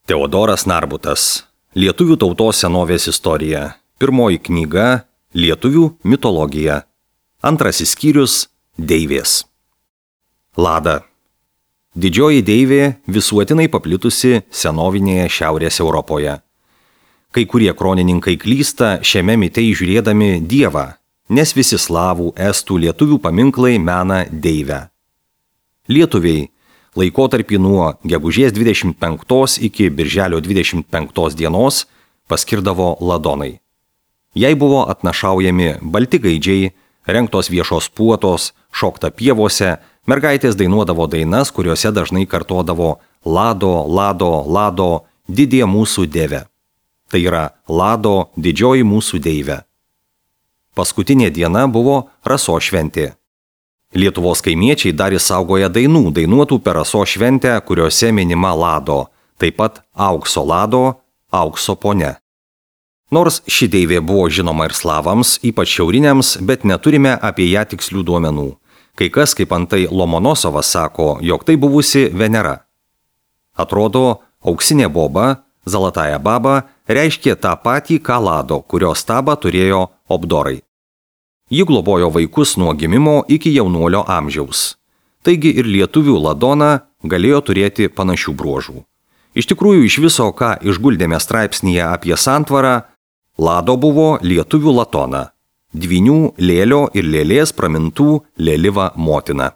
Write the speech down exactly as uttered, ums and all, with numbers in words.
Teodoras Narbutas. Lietuvių tautos senovės istorija. Pirmoji knyga – Lietuvių mitologija. Antrasis skyrius – Deivės. Lada. Didžioji deivė visuotinai paplitusi senovinėje Šiaurės Europoje. Kai kurie kronininkai klysta šiame mite įžiūrėdami dievą, nes visi slavų, estų, lietuvių paminklai mena deivę. Lietuviai laikotarpį nuo gegužės dvidešimt penktos iki birželio dvidešimt penktos dienos paskirdavo ladonai. Jai buvo atnašaujami balti gaidžiai, rengtos viešos puotos, šokta pievose, mergaitės dainuodavo dainas, kuriuose dažnai kartodavo Lado, Lado, Lado, didė mūsų dieve. Tai yra Lado, didžioji mūsų deivė. Paskutinė diena buvo Rasos šventė. Lietuvos kaimiečiai dar išsaugoja dainų, dainuotų per Rasos šventę, kuriuose minima Lado, taip pat aukso Lado, aukso ponia. Nors ši deivė buvo žinoma ir slavams, ypač šiauriniams, bet neturime apie ją tikslių duomenų. Kai kas, kaip antai Lomonosovas, sako, jog tai buvusi Venera. Atrodo, auksinė boba, Zalataja baba, reiškė tą patį, ką Lado, kurio stabą turėjo Obdorai. Ji globojo vaikus nuo gimimo iki jaunuolio amžiaus. Taigi ir lietuvių Ladona galėjo turėti panašių bruožų. Iš tikrųjų, iš viso, ką išguldėme straipsnyje apie santvarą, Lado buvo lietuvių Latona, dvynių, lėlio ir lėlės pramintų Lėliva motina.